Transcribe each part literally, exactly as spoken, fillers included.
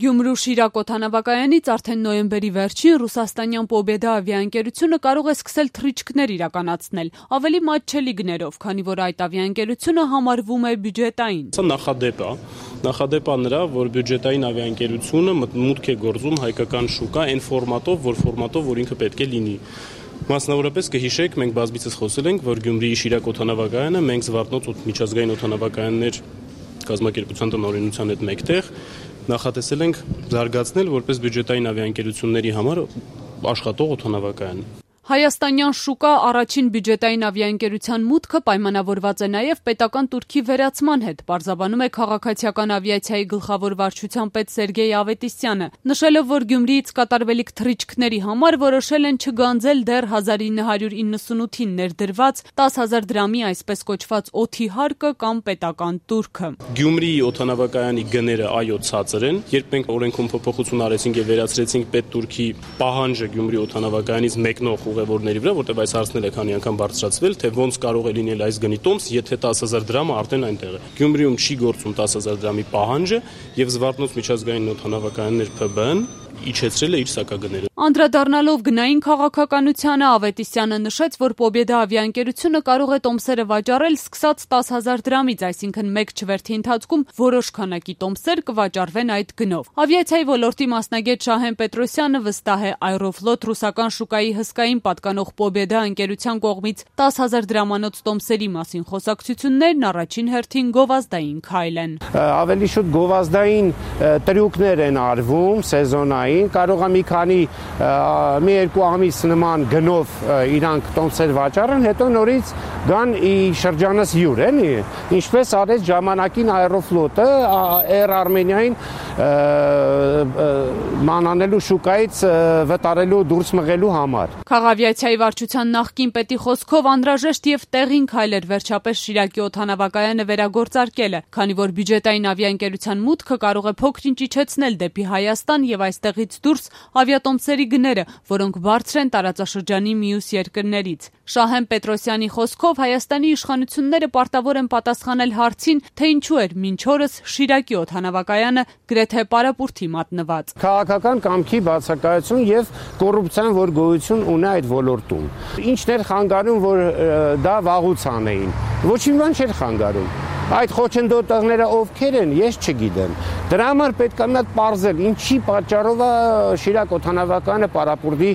Գյումրու Շիրակ օդանավակայանից արդեն նոյեմբերի վերջին ռուսաստանյան Պոբեդա ավիաընկերությունը կարող է սկսել թռիչքներ իրականացնել, ավելի մատչելի գներով, քանի որ այդ ավիաընկերությունը համարվում է բյուջետային։ Սա նախադեպ է, նախադեպ է նրա, որ բյուջետային ավիաընկերությունը մուտք է գործում հայկական շուկա այն ֆորմատով, որ ֆորմատով, որ ինքը պետք է լինի։ Մասնավորապես կհիշեք, մենք բազմիցս խոսել ենք, որ Գյումրիի Շիրակ օդանավակայանը մենք Զվարթնոց միջազգային օդանավակայաններ կազմակերպության տնօրինության հետ մեկտեղ նախատեսել ենք զարգացնել որպես բյուջետային ավիաընկերությունների համար աշխատող օդանավակայան։ Հայաստանյան շուկա առաջին բյուջետային ավիաընկերության մուտքը պայմանավորված է նաև պետական տուրքի վերացման հետ, պարզաբանում է քաղաքացիական ավիացիայի գլխավոր վարչության պետ Սերգեյ Ավետիսյանը, նշելով, որ Գյումրիից կատարվելիք թռիչքների համար որոշել են չգանձել դեռ հազար ինը հարյուր իննսունութին ներդրված տասը հազար դրամի այսպես կոչված օդի հարկը կամ պետական տուրքը։ Գյումրիի օդանավակայանի գները այո ցածր են, երբ մենք օրենքում փոփոխություն արեցինք եւ վերացրեցինք պետ-տուրքի պահանջը Գյումրի օդանավակայանից մեկնող ուղևորների վրա, որտեղ այս հարցն է քանի անգամ բարձրացվել, թե ոնց կարող է լինել այս գնի տոմս, եթե տասը հազար դրամը արդեն այնտեղ է։ Գյումրիում չի գործում տասը հազար դրամի պահանջը եւ Զվարթնոց միջազգային օդանավակայաններ Փ B N իջեցրել է իր սակագները։ Անդրադառնալով գնային քաղաքականությանը Ավետիսյանը նշեց, որ Պոբեդա ավիաընկերությունը կարող է տոմսերը վաճառել սկսած տասը հազար դրամից, այսինքն մեկ չվերթի ընթացքում որոշ քանակի տոմսեր կվաճառվեն այդ գնով։ Ավիացիայի ոլորտի մասնագետ Շահեն Պետրոսյանը վստահ է, Aeroflot ռուսական շուկայի հսկային պատկանող Պոբեդա ընկերության կողմից տասը հազար դրամանոց տոմսերի մասին խոսակցություններն առաջին հերթին գովազդային քայլ են։ Ավելի շուտ գովազդային տրյուկներ են արվում սեզոնային, կարող է մի քանի մի երկու ամիս նման գնով իրանք տոմսեր վաճառեն, հետո նորից գան ի շրջանս յուր, էլի, ինչպես արեց ժամանակին Aeroflot-ը Air Armenia-ին մանանելու շուկայից վտարելու դուրս մղելու համար։ Քաղավիացիայի վարչության նախկին պետի խոսքով անհրաժեշտ եւ տեղին քայլ էր վերջապես Շիրակի օդանավակայանը վերագործարկելը, քանի որ բյուջետային ավիաընկերության մուտքը կարող է փոքր-ինչ իջեցնել դեպի Հայաստան եւ այստեղից դուրս ավիատոմսերի գները, որոնք բարձր են տարածաշրջանի մյուս երկրներից։ Շահեն Պետրոսյանի խոսքով Հայաստանի իշխանությունները պարտավոր են պատասխանել հարցին, թե ինչու էր մինչ օրս Շիրակի օդանավակայանը գրեթե պարապուրտի մատնված։ Քաղաքական կամքի բացակայություն եւ կոռուպցիան, որ գոյություն ունի այդ ոլորտում։ Ինչն էր խանգարում, որ դա վաղուց անեին։ Ոչինչ բան չէր խանգարում։ Այդ խոչընդոտողները ովքեր են, ես չգիտեմ։ Դրա համար պետք է մատ պարզել, ինչի պատճառով է Շիրակ օդանավակայանը պարապուրտի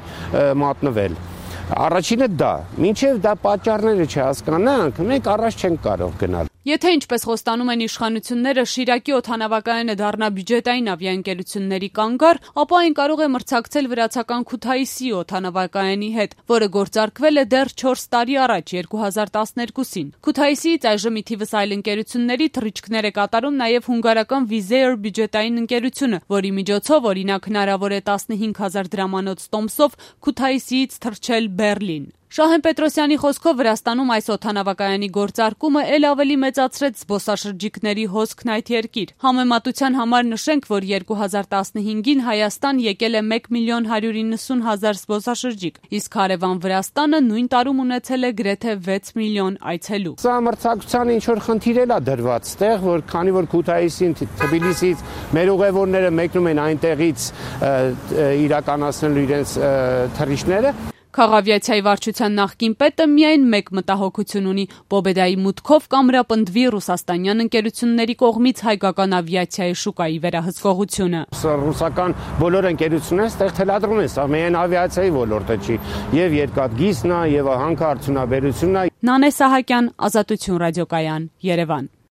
մատնվել։ Առաջինը դա, մինչև դա պատճառները չհասկանանք, մենք առաջ չենք կարող գնալ։ Եթե ինչպես խոստանում են իշխանությունները Շիրակի օդանավակայանը դառնա բյուջետային ավիաընկերությունների կանգառ, ապա այն կարող է մրցակցել վրացական Քութայիսի օդանավակայանի հետ, որը գործարկվել է դեռ չորս տարի առաջ երկու հազար տասներկուսին։ Քութայիսիից այժմ ի թիվս այլ ընկերությունների թռիչքներ է կատարում նաև հունգարական Wizz Air բյուջետային ընկերությունը, որի միջոցով օրինակ հնարավոր է տասնհինգ հազար դրամանոց տոմսով Քութայիսիից թռչել Բեռլին։ Շահեն Պետրոսյանի խոսքով Վրաստանում այս օդանավակայանի գործարկումը ել ավելի մեծացրեց զբոսաշրջիկների հոսքն այդ երկիր։ Համեմատության համար նշենք, որ երկու հազար տասնհինգին Հայաստան եկել է մեկ միլիոն հարյուր իննսուն հազար զբոսաշրջիկ, իսկ հարևան Վրաստանը նույն տարում ունեցել է գրեթե վեց միլիոն այցելու։ Սա մրցակցության ինչ որ խնդիր էլ է դրված ստեղ, որ քանի որ Քութայիսին, Թբիլիսից մեր ուղևորները մեկնում են այնտեղից իրականացնելու իրենց թռիչքները։ Քաղավիացիայի վարչության նախկին պետը միայն մեկ մտահոգություն ունի՝ Պոբեդայի մուտքով կամրապնդվի ռուսաստանյան ընկերությունների կողմից հայկական ավիացիայի շուկայի վերահսկողությունը։ Ռուսական բոլոր ընկերությունները ստեղ թելադրում են, սա միայն ավիացիայի ոլորտը չի, եւ երկաթգիծն է, եւ հանքարդյունաբերությունն է։ Նանե Սահակյան, Ազատություն ռադիոկայան, Երևան։